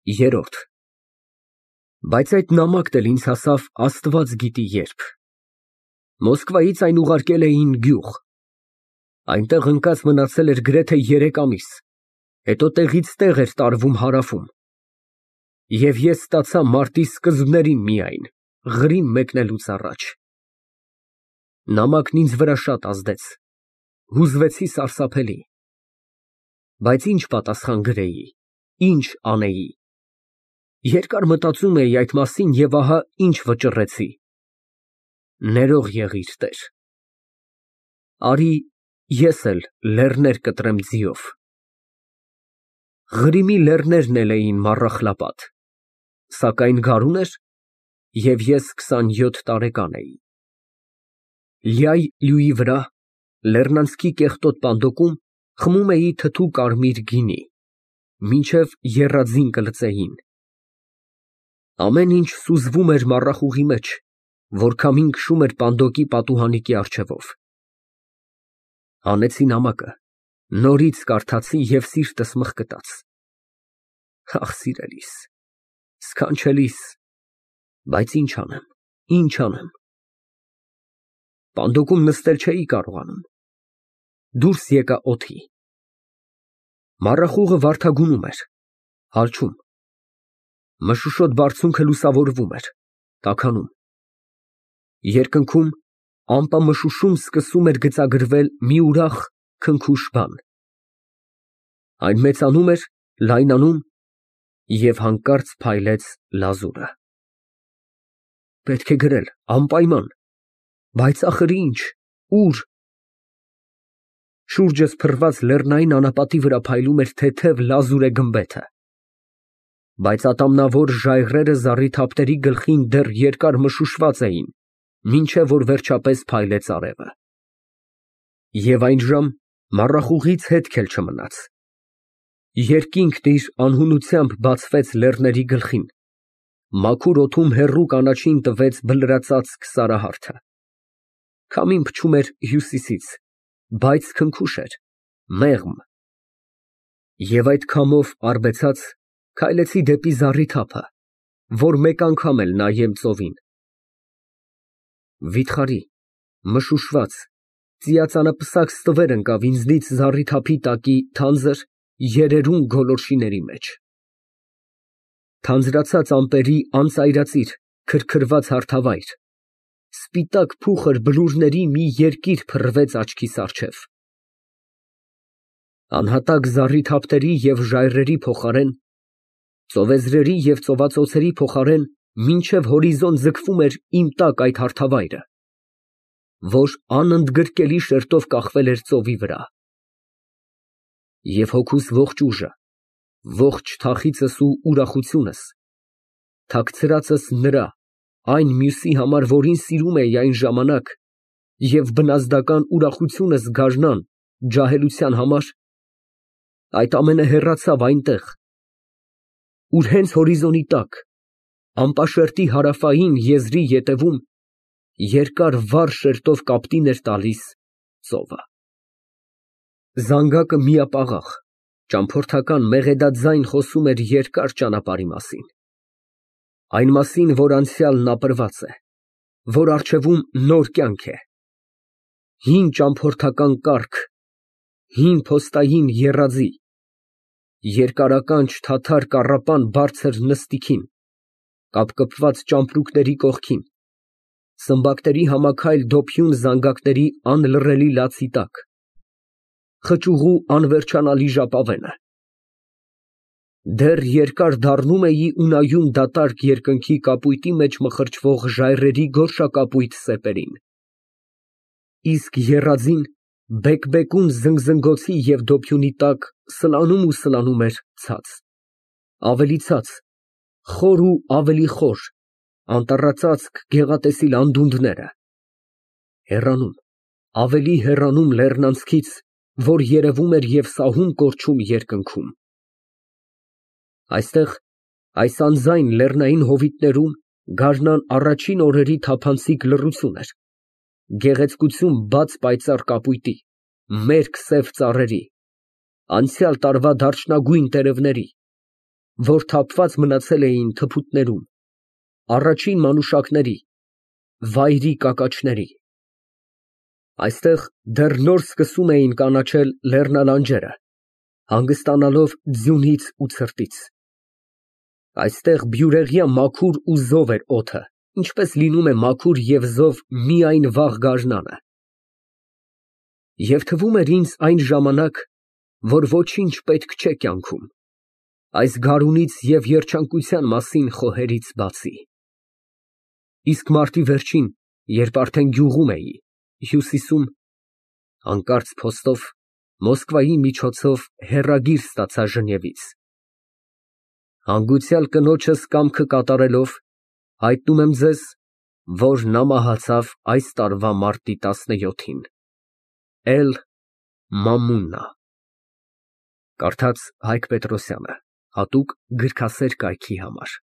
Երրորդ Բայց այդ նամակն էլ ինձ հասավ Աստված գիտի երբ. Մոսկվայից այն ուղարկել էին գյուղ, այնտեղ ընկած մնացել էր գրեթե 3 ամիս, հետո տեղից տեղ էր տարվում Հարավում, և ես ստացա մարտի սկզբներին միայն, Ղրիմ մեկնելուց առաջ։ Նամակն ինձ վրա շատ ազդեց, հուզվեցի սարսափելի։ Բայց ինչ պատասխան գրեի, ինչ անեի։ Երկար մտածում էի այդ մասին և ահա ինչ վճռեցի. ներող եղիր, Տեր, արի ես էլ լեռներ կտրեմ ձիով։ Ղրիմի լեռներն էլ էին մառախլապատ, սակայն գարուն էր, և ես 27 տարեկան էի։ Լիայ լյուի վրա, լեռնանցքի կեղտոտ պանդոկում խմում էի թթու կարմիր գինի, մինչև եռաձին կլծեին։ Ամեն ինչ սուզվում էր մառախուղի մեջ, որ քամին քշում էր պանդոկի պատուհանիկի առջևով։ Հանեցի նամակը, նորից կարդացի և սիրտս մղկտաց։ Ախ, սիրելիս, սքանչելիս, բայց ինչ անեմ, ինչ անեմ։ Պանդոկում նստել չէի կարողանում, դուրս եկա օդի։ Մառախուղը վարդագույնում էր, հալչում։ Մշուշոտ բարձունքը լուսավորվում էր, տաքանում։ Երկնքում ամպամշուշում սկսում էր գծագրվել մի ուրախ, քնքուշ բան։ Այն մեծանում էր, լայնանում և հանկարծ փայլեց լազուրը։ Պետք է գրել, անպայման, բայց ախր ինչ, ուր։ Շուրջս փռված լեռնային անապատի վրա փայլում էր թեթև լազուրե գմբեթը, բայց ատամնավոր ժայռերը զառիթափտերի գլխին դեռ երկար մշուշված էին, մինչև որ վերջապես փայլեց արևը։ Եվ այժմ մառախուղից հետք էլ չմնաց։ Երկինքն իր անհունությամբ բացվեց լեռների գլխին, մաքուր օդում հեռու կանաչին տվեց բլրածածկ սարահարթը։ Քամին փչում էր հյուսիսից, բայց քնքուշ էր, մեղմ։ Եվ այդ քամով արբեցած քայլեցի դեպի զառիթափը, որ մեկ անգամ էլ նայեմ ծովին։ Վիթխարի, մշուշված, ծիածանապսակ ստվեր ընկավ ինձնից զառիթափի տակի թանձր, երերուն գոլորշիների մեջ։ Թանձրացած ամպերի անծայրածիր, քրքրված հարթավայր, սպիտակ փուխր բլուրների մի երկիր փռվեց աչքիս առջև։ Անհատակ զառիթափտերի և ժայռերի փոխարեն, ծովեզրերի և ծովածոցերի փոխարեն մինչև հորիզոն ձգվում էր իմ տակ այդ հարթավայրը, որ անընդգրկելի շերտով կախվել էր ծովի վրա։ Եվ հոգուս ողջ ուժը, ողջ թախիծս ու ուրախությունս թաքցրածս նրա, այն մյուսի համար, որին սիրում էի այն ժամանակ, և բնազդական ուրախությունս գարնան, ջահելության համար, այդ ամենը հեռացավ այնտեղ, ուր հենց հորիզոնի տակ, անպաշարտի հարավային եզրի ետևում, երկար վառ շերտով կապտին էր տալիս ծովը։ Զանգակը միապաղաղ, ճամփորդական մեղեդաձայն խոսում էր երկար ճանապարհի մասին։ Այն մասին, որ անցյալն ապրված է, որ առջևում նոր կյանք է։ Հին ճամփորդական կառք, հին փոստային եռաձի, երկարականջ թաթար կառապան բարձր նստիքին, կապկպված ճամպրուկների կողքին, սմբակների համաքայլ դոփյուն զանգակների անլռելի լացի տակ, խճուղու անվերջանալի ժապավենը։ Դեռ երկար դառնում էի ու նայում դատարկ երկնքի կապույտի մեջ մխրճվող ժայռերի գորշակապույտ սեպերին։ Իսկ եռաձին բեկբեկուն զնգզնգոցի և դոփյունի տակ սլանում ու սլանում էր ցած, ավելի ցած, խոր ու ավելի խոր, անտառածածկ գեղատեսիլ անդունդները, հեռանում, ավելի հեռանում լեռնանցքից, որ երևում էր և սահուն կորչում երկնքում։ Այստեղ, այս անձայն լեռնային հովիտներում գարնան առաջին օրերի թափանցիկ լռություն էր, գեղեցկություն բաց պայծառ կապույտի, մերկ սև ծառերի, անցյալ տարվա դարչնագույն տերևների, որ թափված մնացել էին թփուտներում, առաջին մանուշակների, վայրի կակաչների։ Այստեղ դեռ նոր սկսում էին կանաչել լեռնալանջերը, հանգստանալով ձյունից ու ցրտից։ Այստեղ բյուրեղյա մաքուր ու զով էր օդը, ինչպես լինում է մաքուր և զով միայն վաղ գարնանը։ Եվ թվում էր ինձ այն ժամանակ, որ ոչինչ պետք չէ կյանքում, այս գարունից և երջանկության մասին խոհերից բացի։ Իսկ մարտի վերջին, երբ արդեն գյուղում էի, հյուսիսում, հանկարծ փոստով, Մոսկվայի միջոցով հեռագիր ստացա Ժնևից. «Հանգուցյալ կնոջս կամքը կատարելով, հայտնում եմ ձեզ, որ նա մահացավ այս տարվա մարտի 17-ին։ Էլ. Մամուննա»։ Կարդաց Հայկ Պետրոսյանը, հատուկ գրքասեր կայքի համար։